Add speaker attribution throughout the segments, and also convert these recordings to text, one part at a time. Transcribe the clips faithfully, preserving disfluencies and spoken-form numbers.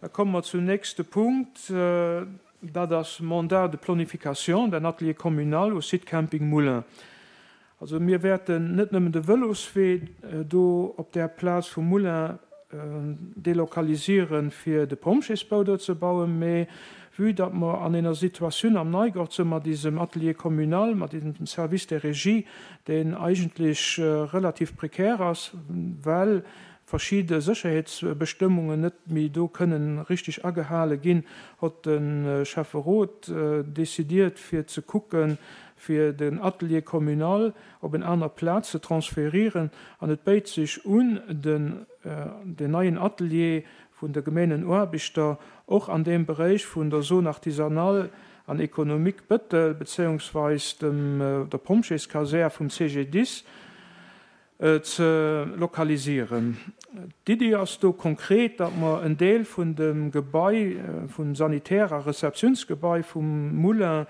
Speaker 1: Da komme mer zum nächste Punkt. Dat ass Mandat de planification d'un atelier communal au site Camping Moulin. Also mir wäerten net nëmmen de Vëloswee do op där Plaz vum Moulin delokalisieren, fir de Pompjeesbau do ze bauen, mee vue datt mer an enger Situatioun am Neigort sinn mat diesem Atelier communal, mat diesem Service de régie, deen eigentlech relativ prekär ass, well verschidde Sécherheetsbestëmmungen net méi do kënnen richtig agehale ginn, hott de Schäfferot decidiert, fir ze kucken, fir den Atelier communal op en aner Plaz ze transferieren. An et béit sech un, den den neien Atelier vun de Gemenenaarbechter och an deem Beréich vun der Zone artisanale an économique Bëttel bezéiungsweis dem der Pompjeeskasär vum C G D I S ze lokalisieren. D'Iddi ass do konkret, datt mer en Deel vun dem Gebai, vum Sanitär a Rezeptiounsgebai vum Moulin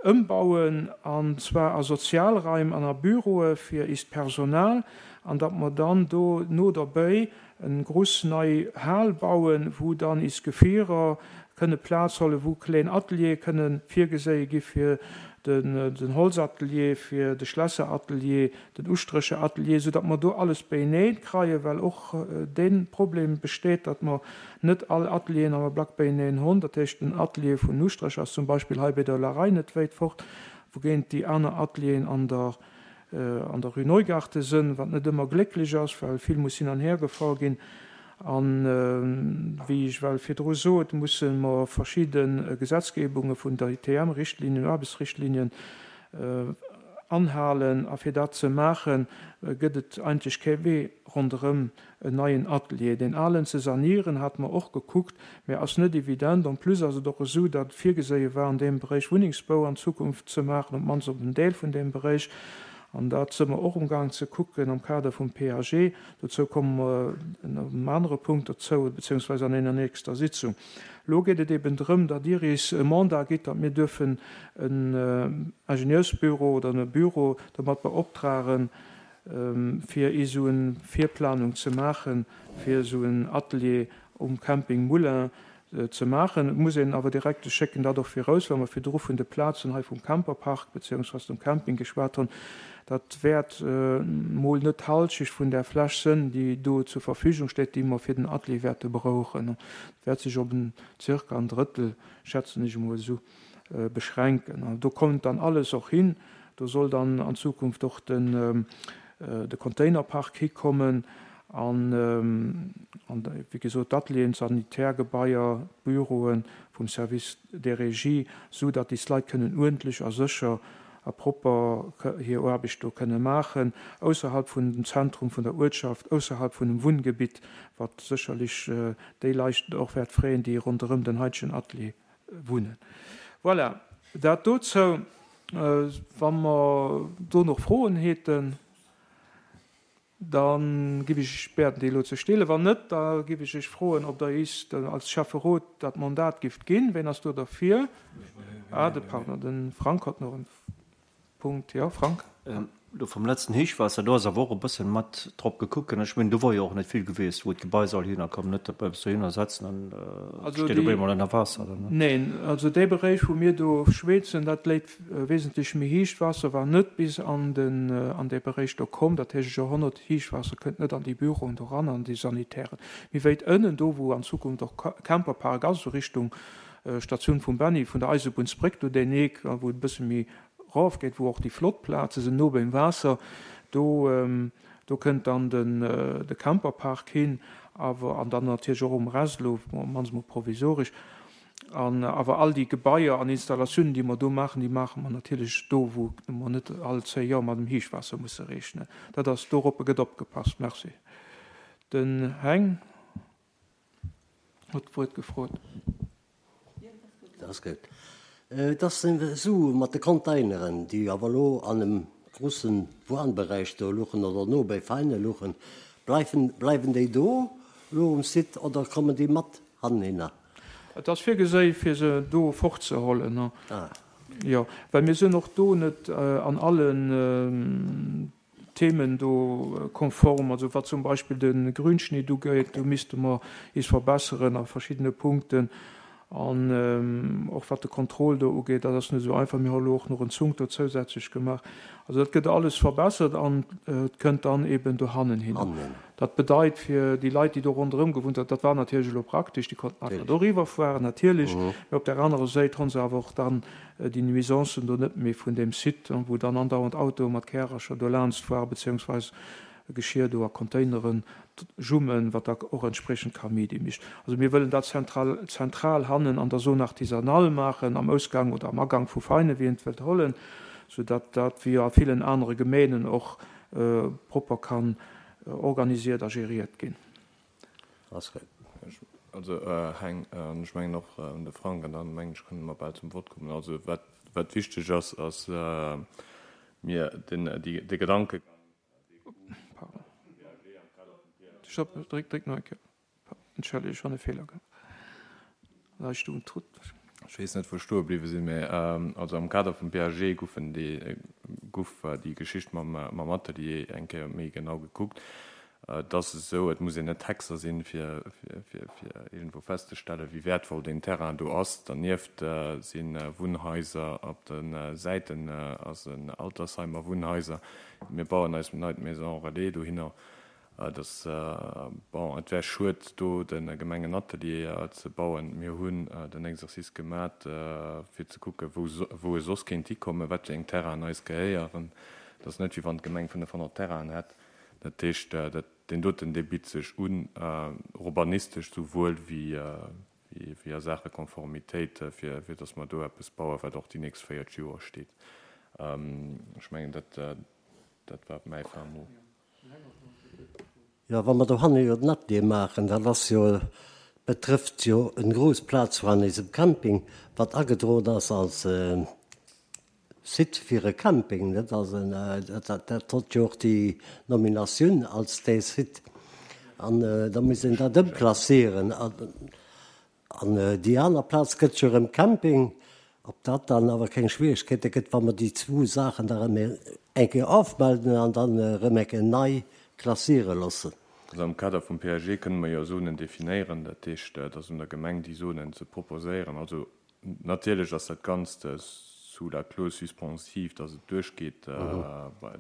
Speaker 1: ëmbauen, an zwar a Sozialraim an a Büroe fir eist Personal, an datt mer dann do no derbäi en gruss nei Hal bauen, wou dann is Gefierer kënne Plaz hollen, wou kleen Ateliere kënne virgeséie gi fir den, den Holzatelier, fir de Schlässeratelier, den Ustrécheratelier, sou datt mer do alles beieneen kreien, well och dee Problem besteet, datt mer net all Atelieren am Ablack beieneen hunn. Dat heescht, den Atelier vun Ustrécher ass zum Beispill hei bei der Larei net wéit fort, wougéint déi aner Atelieren an der an der Rue Neugarten sinn, wat net ëmmer glécklech ass, well vill muss hin an her gefahr ginn. An wéi ech well virdru sot, musse mer verschidde Gesetzgebunge vun der I T M-Richtlinien, Aarbechtsrichtlinien anhalen. A fir dat ze maachen, gëtt et eigentlech kee Wee ronderëm en neien Atelier. Den alen ze sanieren, hat mer och gekuckt, mä ass net evident. En plus ass et och esou, datt virgeséie war, an deem Beréich Wunnengsbau an Zukunft ze maachen, op d'mannst op en Deel vun deem Beréich. An dat si mer och umgaang ze kucken am Kader vum P A G. Dozou komme mer an engem anere Punkt dozou, beziehungsweise an enger nächster Sitzung. Lo geet et eben drëm, datt Dir is e Mandat gitt, datt mir dürfen en Ingenieursbüro oder e Büro domat beoptragen, fir esou eng Virplanung ze maachen, fir esou en Atelier um Camping Moulin ze maachen. Et muss een awer direkt schécken dat och viraus, well mer virdru vun de Plazen hei vum Camperpark beziehungsweise dem Camping geschwat hunn. Dat wäert mol net d'Halschecht vun där Fläch sënn, déi do zur Verfügung steet, déi mer fir den Atelier wäerte brauchen. Dat wäert sech op en zirka en Drëttel, schätzen ech emol esou, beschränken. An do kommt dann alles och hin. Do soll dann an Zukunft och den de Containerpark hikommen an, an wéi gesot, d'Atelieren, d'Sanitärgebaier, d'Büroe vum Service des Régies, sou datt déi Leit kënnen uerdentlech a sécher a propper hir Aarbecht do kënne maachen, ausserhalb vun dem Zentrum vun der Uertschaft, ausserhalb vun dem Wunngebitt, wat sécherlech déi Leit och wäert freeën, déi ronderëm den heitegen Atelier wunnen. Voilà, dat dozou. Wa mer do nach Froen hätten, da giff ech bieden, déi elo ze stellen. Wann net, da giff ech iech froen, ob Der is als Schäfferot dat Mandat gifft ginn. Ween ass do derfir? Ah, de Pardon, de Frank hat nach en Punkt. Jo, Frank?
Speaker 2: Do vum letzten Héichwaasser, do ass awer och e bëssen mat drop gekuckt ginn. Ech mengen, do wor jo och net vill gewiescht, wou d'Gebai soll hinner kommen, net datt mer eppes dohinner setzen an et steet op eemol ënner Waasser dann.
Speaker 1: Neen, also dee Beréich, wou mir do schwätzen, dat léit wesentlech méi héicht. Waasser war net bis an den an dee Beréich do komm. Dat heescht, Joerhonnert Héichwaasser kënnt net an déi Büroen do ran, an déi Sanitären. Méi wéit ënnen, do wou an Zukunft och Camperpark ass, esou Richtung Statioun vum Benny, vun der Eisebunnsbréck do deen Eck, wou et e bësse méi Rof geet, wou och déi flott Plaze sinn, no beim Waasser, do do kënnt dann den de Camperpark hin, awer an dann natierlech och um Rest elo, op d'mannst mol provisoresch. An awer all déi Gebaier an Installatiounen, déi mer do maachen, déi maache mer natierlech do, wou mer net all zéi Joer mat dem Héichwaasser musse rechnen. Dat ass, doroppe gëtt opgepasst. Merci. Den Heng huet d'Wuert gefrot.
Speaker 3: Dat ass gutt. Et ass esou mat de Containeren, déi awer elo an engem groussen Wunnberäich do luchen oder no bei Veine luchen. Bleiwen, bleiwen déi do elo um Site oder kommen déi mat hanhinner?
Speaker 1: Et ass virgeséi fir se do fortzehollen.
Speaker 3: Ah.
Speaker 1: Jo, well mir sinn och do net an allen Themen do konform. Also wat zum Beispill de Grünschnitt ugeet, do misste mer is verbesseren a verschiddene Punkten. An och wat de Contrôle do ugeet, dat ass net esou einfach. Mir hu elo och nach en Zunk do zousätzlech gemaach. Also dat gëtt alles verbessert an et kënnt dann eben dohannen hin. Dat bedeit fir déi Leit, déi do ronderëm gewunnt hunn, dat war natierlech elo praktesch, déi konnten einfach doriwwer fueren, natierlech. Mee op där anerer Säit hu se awer och dann déi Nuisancen do net méi vun deem Site, wou dann andauernd Autoe mat Kärercher do laanscht fueren, beziehungsweise Geschir do a Containeren jummen, wat da och entspriechend Kaméidi mécht. Also mir wëllen dat zentral, zentral hannen an der Zone artisanale maachen, am Ausgang oder am Agang vu Veinen, wéi een et wëllt hollen, soudatt dat, wéi a villen anere Gemeenen och, propper kann organisiert a gériert ginn.
Speaker 4: Also Heng, an ech mengen och de Frank, an dann mengen ech kënne mer bal zum Vott kommen. Also wat, wat wichteg ass, ass mir den, déi, de Gedankegang,
Speaker 1: Pardon. Stopp, dréck, dréck nach eng Kéier. Entschëlleg, ech hunn e Feeler gemaach. Hei stoung Trut.
Speaker 4: Ech weess net, wou ech stoe bliwwe sinn, mä also am Kader vum PAG goufen déi, gouf déi Geschicht mam, mam Atelier eng Kéier méi genau gekuckt. Et ass esou, et muss een net Hexer sinn, fir, fir, fir, fir iergendwou festzestellen, wéi wäertvoll deen Terrain do ass. Dernieft si Wunnhaiser, op de Säiten ass en Altersheim a Wunnhaiser. Mir bauen eis neit Maison relais dohinner. Et ass, bon, et wär schued, do de Gemengenatelier ze bauen. Mir hunn den Exercice gemat, fir ze kucken, wou, wou e soss kéint hikommen, wat fir eng Terrainen eis gehéieren. Et ass net, wéi wann d'Gemeng fënnefhonnert Terrainen hätt. Dat heescht, dat, deen doten, dee bitt sech un, urbanistesch souwuel wéi, wéi a Saache Konformitéit, fir, fir dass mer do eppes bauen, wat och déi nächst véiertg Joer steet. Ech mengen, dat, dat war mäi fin mot.
Speaker 3: Jo, wa mer dohanne jo den Atelier maachen, dat ass jo, betrëfft jo en grouss Plaz an eisem Camping, wat agedroen ass als Site fir e Camping, net? Also dat dat hott jo och déi Nominatioun als dee Site. An da muss een dat ëmklassieren. An déi aner Plaz gëtt jo erëm Camping. Ob dat dann awer keng Schwierigkeete gëtt, wa mer déi zwou Saachen da erëm eng Kéier ofmelden an dann erëm eng Kéier nei klassiere loossen.
Speaker 4: Also am Kader vum PAG kënne mer jo Zonen definéieren. Dat heescht, et ass un der Gemeng, déi Zonen ze proposéieren. Also natierlech ass dat Ganzt sous la clause suspensive, dass et duerchgeet,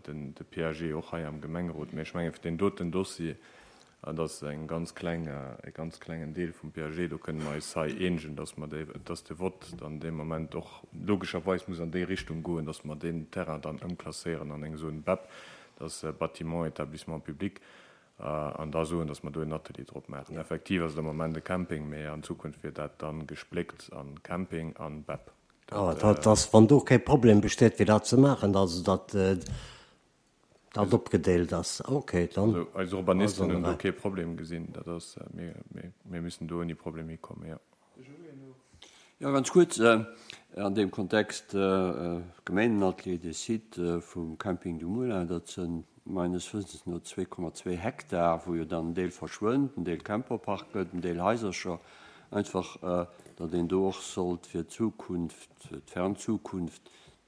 Speaker 4: den de P A G och hei am Gemengerot. Mä ech menge fir deen doten Dossier, dat ass eng ganz kleng, e ganz klengen Deel vum P A G, do kënne mer eis hei eenegen, dass mer déi, dass de Vott dann dee Moment och logescherweis muss an déi Richtung goen, dass mer deen Terrain dann ëmklasséieren an eng Zone B E P, dass Bâtiment, Établissement public, an da soen, dass mer do en Atelier drop maachen. Effektiv ass et am Moment e Camping, mä an Zukunft wier dat dann gespléckt an Camping an B E P.
Speaker 3: Dat, dat ass, wann do kee Problem besteet, fir dat ze maachen, also datt dat opgedeelt ass. Okay, dann.
Speaker 4: Also eis Urbanisten hunn do kee Problem gesinn. Dat ass, mir, mir, mir müssen do ouni Problem hikommen, jo.
Speaker 5: Jo, ganz kuerz an deem Kontext, Gemeenenatelier, dee Site vum Camping du Moulin, dat si meines Wëssens no zwee Komma zwee Hektar, wou jo dann en Deel verschwënnt, en Deel Camperpark gëtt, en Deel Haisercher. Einfach, datt een do och sollt fir d'Zukunft, fir d'fern Zukunft,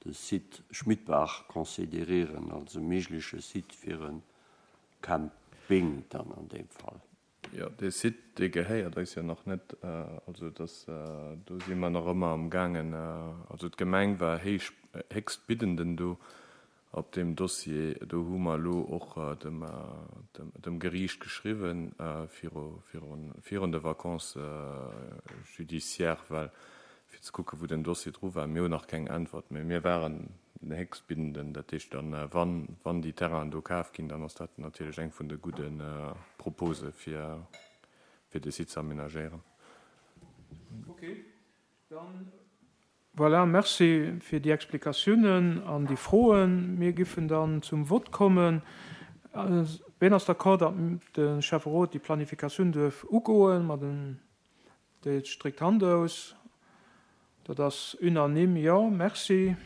Speaker 5: de Site Schmidbach considérieren als e méigleche Site fir e Camping dann an deem Fall.
Speaker 4: Jo, dee Site, dee gehéiert eis jo nach net. Also dass, do si mer nach ëmmer amgaangen. Also d'Gemeng war héich, héchstbiddenden do op deem Dossier. Do hu mer elo och dem, dem Geriicht geschriwwen viru, virun, virun de Vacances judiciaires, well fir ze kucken, wou den Dossier dru war. Mir hunn nach keng Äntwert, mä mir waren den Héchstbiddenden. Dat heescht dann, wann, wann déi Terrainen do kaf ginn, dann ass dat natierlech eng vun de gudde Propose fir, fir de Site ze aménagéieren.
Speaker 1: Okay, dann voilà, merci fir déi Explikatiounen an déi Froen. Mir giffen dann zum Vott kommen. Wien ass d'accord, datt de Schäfferot déi Planifikatioun duerf ugoen? Mat den Déi stréckt d'Hand aus. Dat ass unanime. Jo, merci.